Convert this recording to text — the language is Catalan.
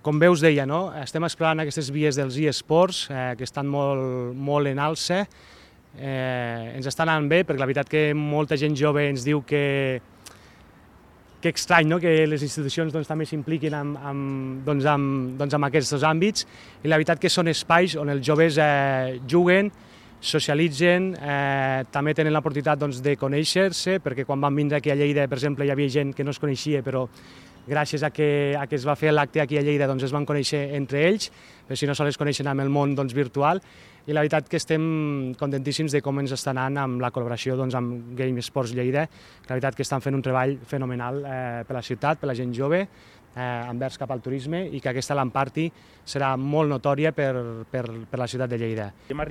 Com bé us deia, no? Estem explorant aquestes vies dels eSports que estan molt en alça. Ens està anant bé, perquè la veritat que molta gent jove ens diu que estrany, no? Que les institucions també s'impliquin amb aquests dos àmbits, i la veritat que són espais on els joves juguen, socialitzen, també tenen l'oportunitat de conèixer-se, perquè quan van vindre aquí a Lleida, per exemple, hi havia gent que no es coneixia, però gràcies a que es va fer l'acte aquí a Lleida es van conèixer entre ells, però si no sols es coneixen amb el món virtual, i la veritat que estem contentíssims de com ens està anant amb la col·laboració amb Game Sports Lleida, que la veritat que estan fent un treball fenomenal per la ciutat, per la gent jove, envers cap al turisme, i que aquesta LAN Party serà molt notòria per la ciutat de Lleida.